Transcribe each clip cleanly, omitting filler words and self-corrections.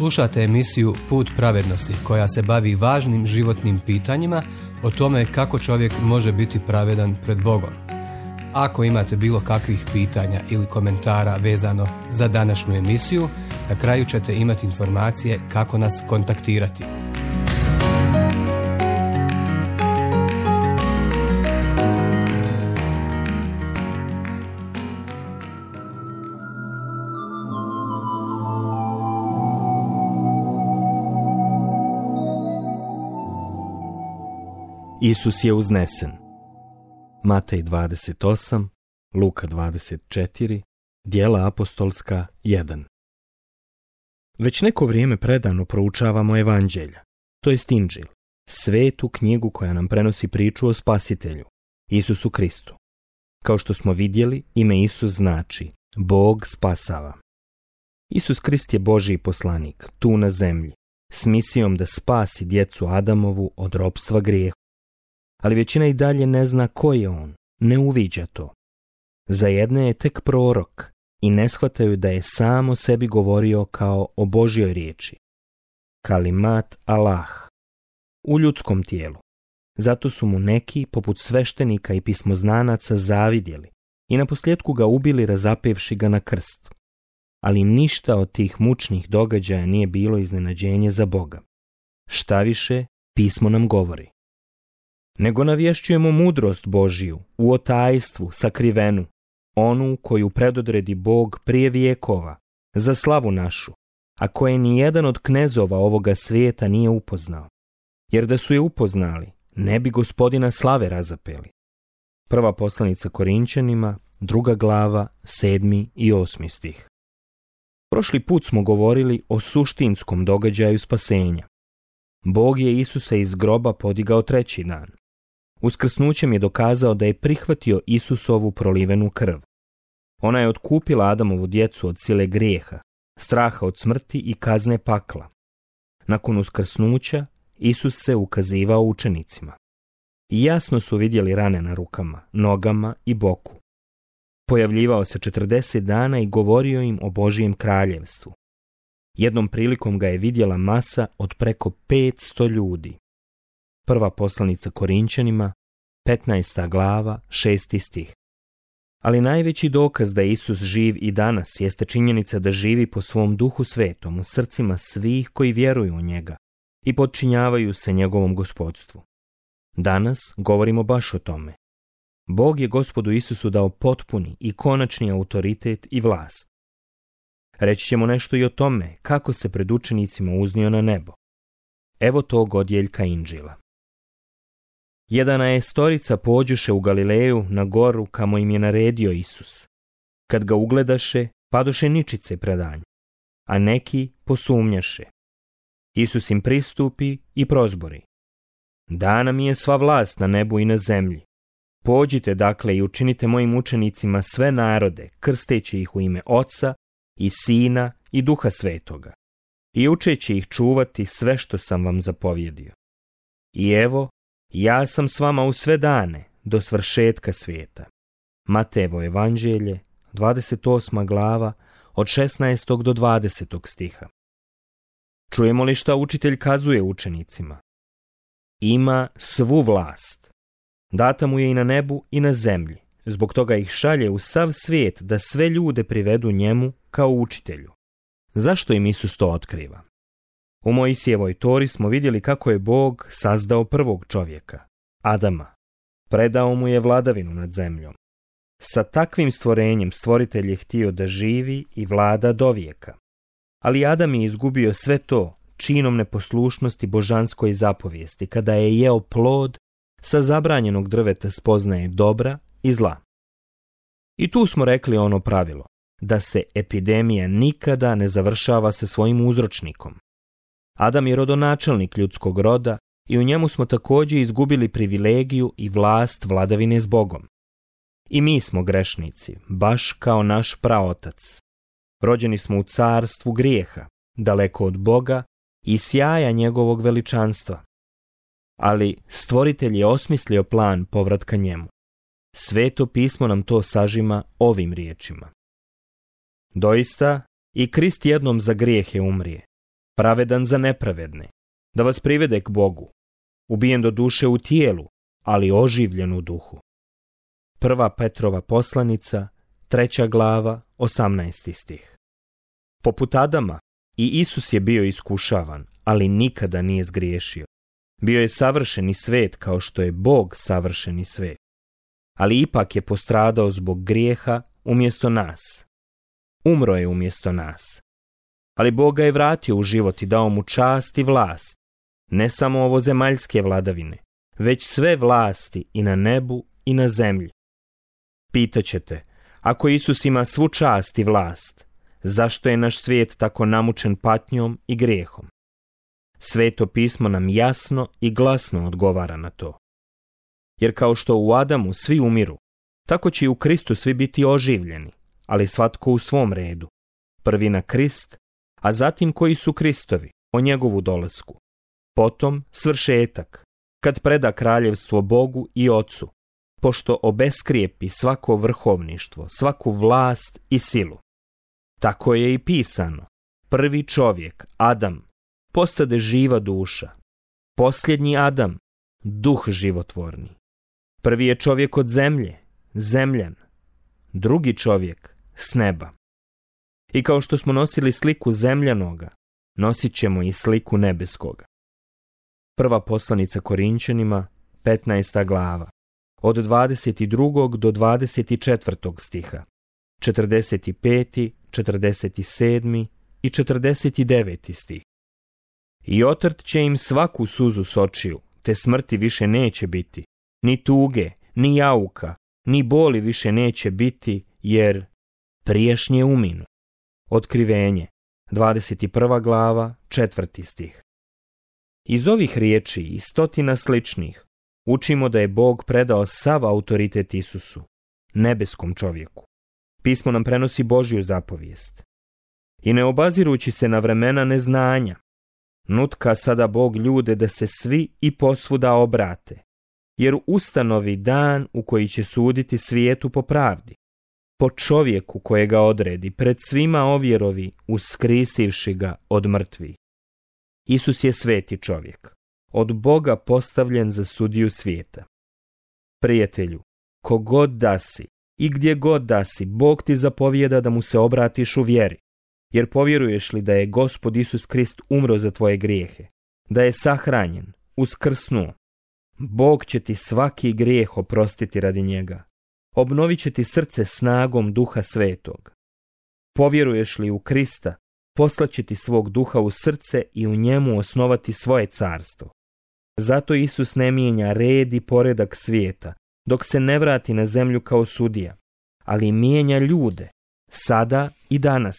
Slušate emisiju Put pravednosti koja se bavi važnim životnim pitanjima o tome kako čovjek može biti pravedan pred Bogom. Ako imate bilo kakvih pitanja ili komentara vezano za današnju emisiju, na kraju ćete imati informacije kako nas kontaktirati. Isus je uznesen. Matej 28, Luka 24, Djela apostolska 1. Već neko vrijeme predano proučavamo evanđelja, to jest Inđil, svetu knjigu koja nam prenosi priču o Spasitelju, Isusu Kristu. Kao što smo vidjeli, ime Isus znači Bog spasava. Isus Krist je Božji poslanik, tu na zemlji, s misijom da spasi djecu Adamovu od ropstva grijehu. Ali većina i dalje ne zna ko je on, ne uviđa to. Za jedne je tek prorok i ne shvataju da je sam o sebi govorio kao o Božjoj riječi. Kalimat Allah, u ljudskom tijelu. Zato su mu neki, poput sveštenika i pismoznanaca, zavidjeli i naposljetku ga ubili razapevši ga na krst. Ali ništa od tih mučnih događaja nije bilo iznenađenje za Boga. Štaviše, pismo nam govori. Nego navješćujemo mudrost Božiju, u otajstvu, sakrivenu, onu koju predodredi Bog prije vijekova, za slavu našu, a koje ni jedan od knezova ovoga svijeta nije upoznao. Jer da su je upoznali, ne bi Gospodina slave razapeli. Prva poslanica Korinčanima, 2. glava, 7. i 8. stih. Prošli put smo govorili o suštinskom događaju spasenja. Bog je Isusa iz groba podigao treći dan. Uskrsnućem je dokazao da je prihvatio Isusovu prolivenu krv. Ona je otkupila Adamovu djecu od sile grijeha, straha od smrti i kazne pakla. Nakon uskrsnuća, Isus se ukazivao učenicima. I jasno su vidjeli rane na rukama, nogama i boku. Pojavljivao se 40 dana i govorio im o Božijem kraljevstvu. Jednom prilikom ga je vidjela masa od preko 500 ljudi. Prva poslanica Korinčanima, 15. glava, 6. stih. Ali najveći dokaz da je Isus živ i danas jeste činjenica da živi po svom Duhu Svetom u srcima svih koji vjeruju u njega i podčinjavaju se njegovom gospodstvu. Danas govorimo baš o tome. Bog je Gospodu Isusu dao potpuni i konačni autoritet i vlast. Reći ćemo nešto i o tome kako se pred učenicima uznio na nebo. Evo tog odjeljka Inđila. 11 pođoše u Galileju na goru kamo im je naredio Isus. Kad ga ugledaše, padoše ničice predanj, a neki posumnjaše. Isus im pristupi i prozbori. Dana mi je sva vlast na nebu i na zemlji. Pođite dakle i učinite mojim učenicima sve narode, krsteći ih u ime Oca i Sina i Duha Svetoga, i učeći ih čuvati sve što sam vam zapovjedio. I evo, ja sam s vama u sve dane, do svršetka svijeta. Matejevo evanđelje, 28. glava, od 16. do 20. stiha. Čujemo li šta učitelj kazuje učenicima? Ima svu vlast. Data mu je i na nebu i na zemlji. Zbog toga ih šalje u sav svijet da sve ljude privedu njemu kao učitelju. Zašto im Isus to otkriva? U Mojsijevoj Tori smo vidjeli kako je Bog sazdao prvog čovjeka, Adama. Predao mu je vladavinu nad zemljom. Sa takvim stvorenjem stvoritelj je htio da živi i vlada dovijeka. Ali Adam je izgubio sve to činom neposlušnosti božanskoj zapovijesti kada je jeo plod sa zabranjenog drveta spoznaje dobra i zla. I tu smo rekli ono pravilo, da se epidemija nikada ne završava sa svojim uzročnikom. Adam je rodonačelnik ljudskog roda i u njemu smo također izgubili privilegiju i vlast vladavine s Bogom. I mi smo grešnici, baš kao naš praotac. Rođeni smo u carstvu grijeha, daleko od Boga i sjaja njegovog veličanstva. Ali stvoritelj je osmislio plan povratka njemu. Sveto pismo nam to sažima ovim riječima. Doista, i Krist jednom za grijehe umrije, pravedan za nepravedne, da vas privede k Bogu, ubijen do duše u tijelu, ali oživljen u duhu. 1. Petrova poslanica, 3. glava, 18. stih. Poput Adama, i Isus je bio iskušavan, ali nikada nije zgriješio. Bio je savršeni svet kao što je Bog savršeni svet. Ali ipak je postradao zbog grijeha umjesto nas. Umro je umjesto nas. Ali Bog ga je vratio u život i dao mu čast i vlast. Ne samo ovozemaljske vladavine, već sve vlasti i na nebu i na zemlji. Pitaćete, ako Isus ima svu čast i vlast, zašto je naš svijet tako namučen patnjom i grijehom? Sveto pismo nam jasno i glasno odgovara na to. Jer kao što u Adamu svi umiru, tako će i u Kristu svi biti oživljeni, ali svatko u svom redu. Prvi na Krist, a zatim koji su Kristovi, o njegovu dolasku. Potom svršetak, kad preda kraljevstvo Bogu i Ocu, pošto obeskrijepi svako vrhovništvo, svaku vlast i silu. Tako je i pisano. Prvi čovjek, Adam, postade živa duša. Posljednji Adam, duh životvorni. Prvi je čovjek od zemlje, zemljan. Drugi čovjek, s neba. I kao što smo nosili sliku zemljanoga, nosit ćemo i sliku nebeskoga. Prva poslanica Korinčanima, 15. glava, od 22. do 24. stiha, 45., 47. i 49. stih. I otrt će im svaku suzu s očiju, te smrti više neće biti, ni tuge, ni jauka, ni boli više neće biti, jer priješnje uminu. Otkrivenje, 21. glava, 4. stih. Iz ovih riječi i stotina sličnih učimo da je Bog predao sav autoritet Isusu, nebeskom čovjeku. Pismo nam prenosi Božju zapovijest. I ne obazirući se na vremena neznanja, nutka sada Bog ljude da se svi i posvuda obrate, jer ustanovi dan u koji će suditi svijetu po pravdi, po čovjeku kojega odredi, pred svima ovjerovi, uskrisivši ga od mrtvih. Isus je sveti čovjek, od Boga postavljen za sudiju svijeta. Prijatelju, kogod da si i gdje god da si, Bog ti zapovijeda da mu se obratiš u vjeri, jer povjeruješ li da je Gospod Isus Krist umro za tvoje grijehe, da je sahranjen, uskrsnuo, Bog će ti svaki grijeh oprostiti radi njega. Obnovit će ti srce snagom Duha Svetog. Povjeruješ li u Krista, poslaće ti svog duha u srce i u njemu osnovati svoje carstvo. Zato Isus ne mijenja red i poredak svijeta, dok se ne vrati na zemlju kao sudija, ali mijenja ljude, sada i danas.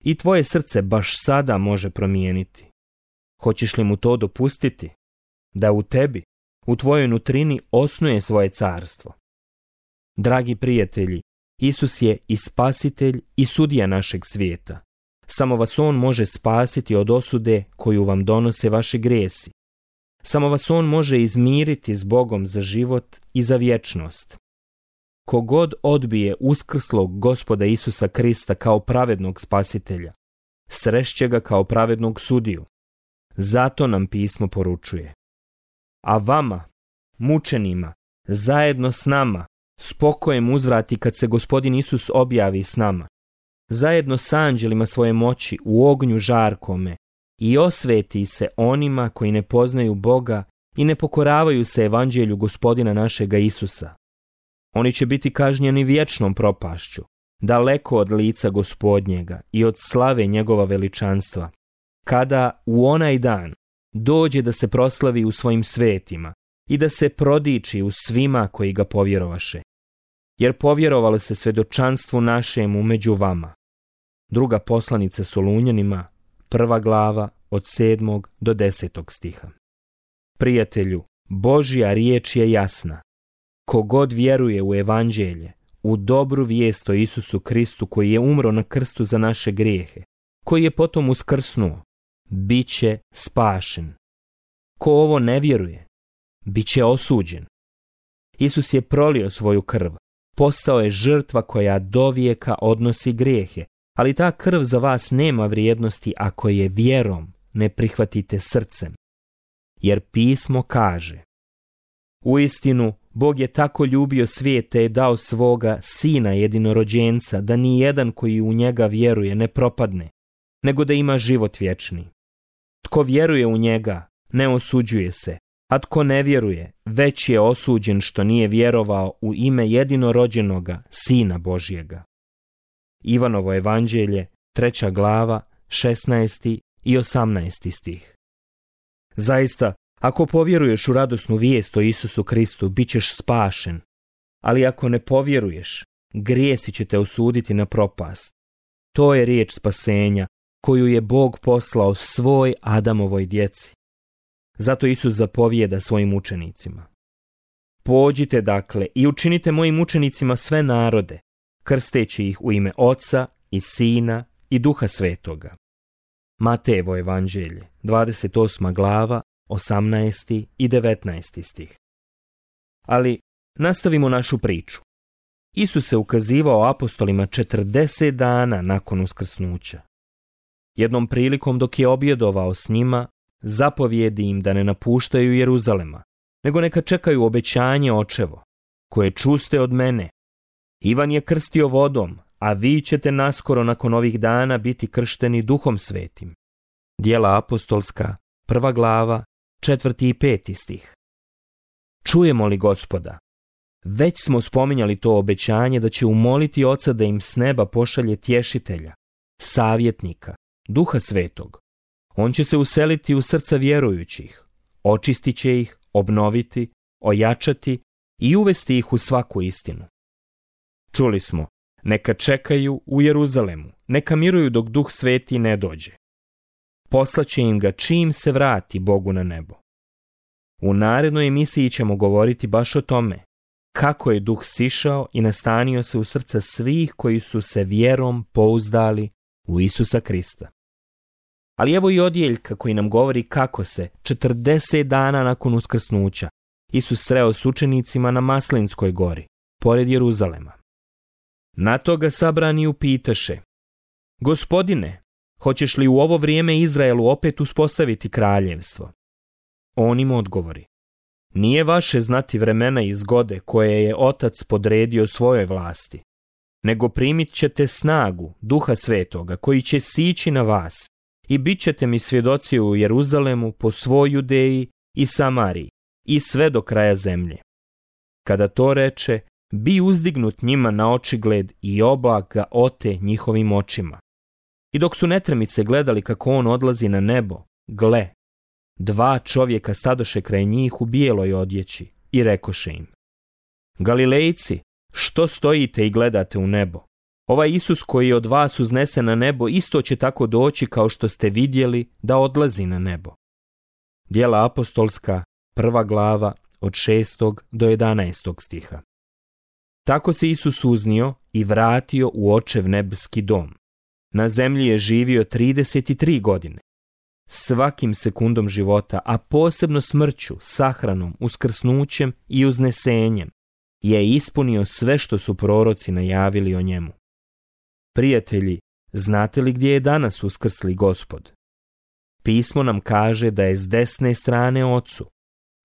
I tvoje srce baš sada može promijeniti. Hoćeš li mu to dopustiti? Da u tebi, u tvojoj nutrini osnuje svoje carstvo. Dragi prijatelji, Isus je i spasitelj i sudija našeg svijeta. Samo vas on može spasiti od osude koju vam donose vaši grijesi. Samo vas on može izmiriti s Bogom za život i za vječnost. Kogod odbije uskrslog Gospoda Isusa Krista kao pravednog spasitelja, srešće ga kao pravednog sudiju. Zato nam pismo poručuje. A vama, mučenima, zajedno s nama, s pokojem uzvrati kad se Gospodin Isus objavi s nama, zajedno s anđelima svoje moći u ognju žarkome, i osveti se onima koji ne poznaju Boga i ne pokoravaju se evanđelju Gospodina našega Isusa. Oni će biti kažnjeni vječnom propašću, daleko od lica Gospodnjega i od slave njegova veličanstva, kada u onaj dan dođe da se proslavi u svojim svetima i da se prodiči u svima koji ga povjerovaše. Jer povjerovalo se svjedočanstvu našemu među vama. Druga poslanica Solunjanima, 1. glava, od 7. do 10. stiha. Prijatelju, Božja riječ je jasna. Kogod vjeruje u evanđelje, u dobru vijest o Isusu Kristu koji je umro na krstu za naše grijehe, koji je potom uskrsnuo, bit će spašen. Ko ovo ne vjeruje, bit će osuđen. Isus je prolio svoju krv, postao je žrtva koja dovijeka odnosi grijehe ali ta krv za vas nema vrijednosti ako je vjerom ne prihvatite srcem. Jer pismo kaže: uistinu, Bog je tako ljubio svijet te je dao svoga sina jedinorođenca, da ni jedan koji u njega vjeruje ne propadne, nego da ima život vječni. Tko vjeruje u njega, ne osuđuje se, a tko ne vjeruje, već je osuđen što nije vjerovao u ime jedinorođenoga Sina Božjega. Ivanovo evanđelje, 3. glava, 16. i 18. stih. Zaista, ako povjeruješ u radosnu vijest o Isusu Kristu, bit ćeš spašen, ali ako ne povjeruješ, grijesi će te osuditi na propast. To je riječ spasenja koju je Bog poslao svoj Adamovoj djeci. Zato Isus zapovijeda svojim učenicima: pođite dakle i učinite mojim učenicima sve narode, krsteći ih u ime Oca i Sina i Duha Svetoga. Matejevo evanđelje, 28. glava, 18. i 19. stih. Ali nastavimo našu priču. Isus se ukazivao apostolima 40 dana nakon uskrsnuća. Jednom prilikom dok je objedovao s njima, zapovjedi im da ne napuštaju Jeruzalema, nego neka čekaju obećanje očevo, koje čuste od mene. Ivan je krstio vodom, a vi ćete naskoro nakon ovih dana biti kršteni Duhom Svetim. Djela apostolska, 1. glava, 4. i 5. stih. Čujemo li Gospoda? Već smo spominjali to obećanje da će umoliti Oca da im s neba pošalje tješitelja, savjetnika, Duha Svetog. On će se useliti u srca vjerujućih, očistit će ih, obnoviti, ojačati i uvesti ih u svaku istinu. Čuli smo: neka čekaju u Jeruzalemu, neka miruju dok Duh Sveti ne dođe. Poslaće im ga čim se vrati Bogu na nebo. U narednoj emisiji ćemo govoriti baš o tome, kako je Duh sišao i nastanio se u srca svih koji su se vjerom pouzdali u Isusa Krista. Ali evo i odjeljka koji nam govori kako se 40 dana nakon uskrsnuća Isus sreo s učenicima na Maslinskoj gori, pored Jeruzalema. Na to ga sabrani upitaše: Gospodine, hoćeš li u ovo vrijeme Izraelu opet uspostaviti kraljevstvo? On im odgovori: nije vaše znati vremena i zgode koje je Otac podredio svojoj vlasti, nego primit ćete snagu Duha Svetoga koji će sići na vas i bit ćete mi svjedoci u Jeruzalemu, po svoj Judeji i Samariji i sve do kraja zemlje. Kada to reče, bi uzdignut njima na očigled i oblak ga ote njihovim očima. I dok su netremice gledali kako on odlazi na nebo, gle, 2 čovjeka stadoše kraj njih u bijeloj odjeći i rekoše im: Galilejci, što stojite i gledate u nebo? Ovaj Isus koji je od vas uznesen na nebo isto će tako doći kao što ste vidjeli da odlazi na nebo. Djela apostolska, 1. glava, od 6. do 11. stiha. Tako se Isus uznio i vratio u Očev nebeski dom. Na zemlji je živio 33 godine. Svakim sekundom života, a posebno smrću, sahranom, uskrsnućem i uznesenjem, je ispunio sve što su proroci najavili o njemu. Prijatelji, znate li gdje je danas uskrsli Gospod? Pismo nam kaže da je s desne strane Ocu,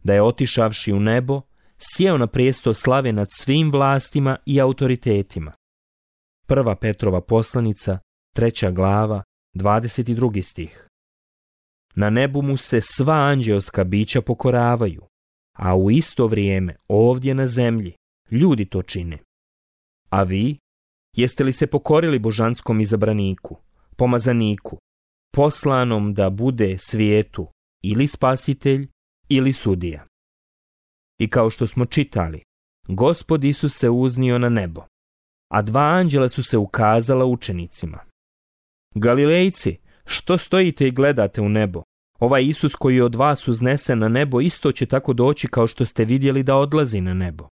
da je otišavši u nebo, sjeo na prijesto slave nad svim vlastima i autoritetima. 1. Petrova poslanica, 3. glava, 22. stih. Na nebu mu se sva anđeoska bića pokoravaju, a u isto vrijeme ovdje na zemlji ljudi to čine. A vi, jeste li se pokorili božanskom izabraniku, pomazaniku, poslanom da bude svijetu ili spasitelj ili sudija? I kao što smo čitali, Gospod Isus se uznio na nebo, a 2 anđela su se ukazala učenicima. Galilejci, što stojite i gledate u nebo? Ovaj Isus koji je od vas uznesen na nebo isto će tako doći kao što ste vidjeli da odlazi na nebo.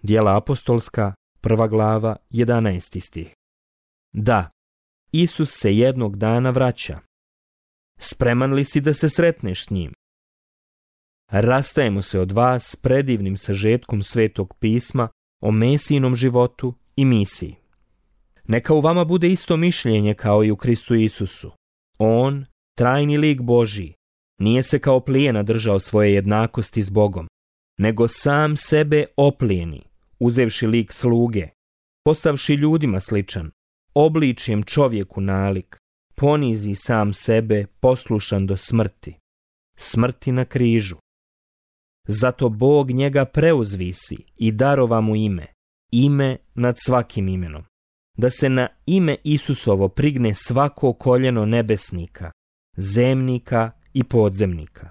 Djela apostolska, 1. glava, 11. stih. Da, Isus se jednog dana vraća. Spreman li si da se sretneš s njim? Rastajemo se od vas s predivnim sažetkom Svetog pisma o Mesijinom životu i misiji. Neka u vama bude isto mišljenje kao i u Kristu Isusu. On, trajni lik Božji, nije se kao plijena držao svoje jednakosti s Bogom, nego sam sebe oplijeni, uzevši lik sluge, postavši ljudima sličan, obličjem čovjeku nalik, ponizi sam sebe, poslušan do smrti, smrti na križu. Zato Bog njega preuzvisi i darova mu ime nad svakim imenom, da se na ime Isusovo prigne svako koljeno nebesnika, zemnika i podzemnika.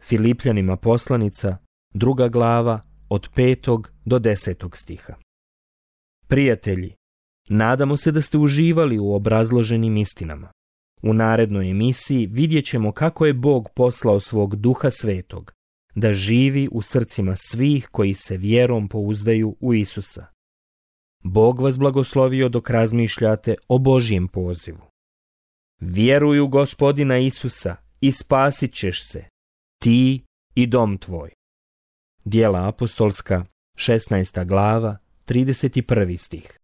Filipljanima poslanica, 2. glava, od 5. do 10. stiha. Prijatelji, nadamo se da ste uživali u obrazloženim istinama. U narednoj emisiji vidjet ćemo kako je Bog poslao svog Duha Svetog da živi u srcima svih koji se vjerom pouzdaju u Isusa. Bog vas blagoslovio dok razmišljate o Božjem pozivu. Vjeruj u Gospodina Isusa i spasit ćeš se, ti i dom tvoj. Djela apostolska, 16. glava, 31. stih.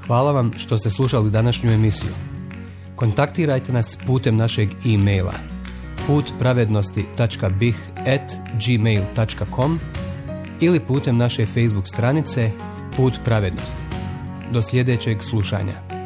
Hvala vam što ste slušali današnju emisiju. Kontaktirajte nas putem našeg e-maila putpravednosti.bih@gmail.com ili putem naše Facebook stranice Put pravednosti. Do sljedećeg slušanja.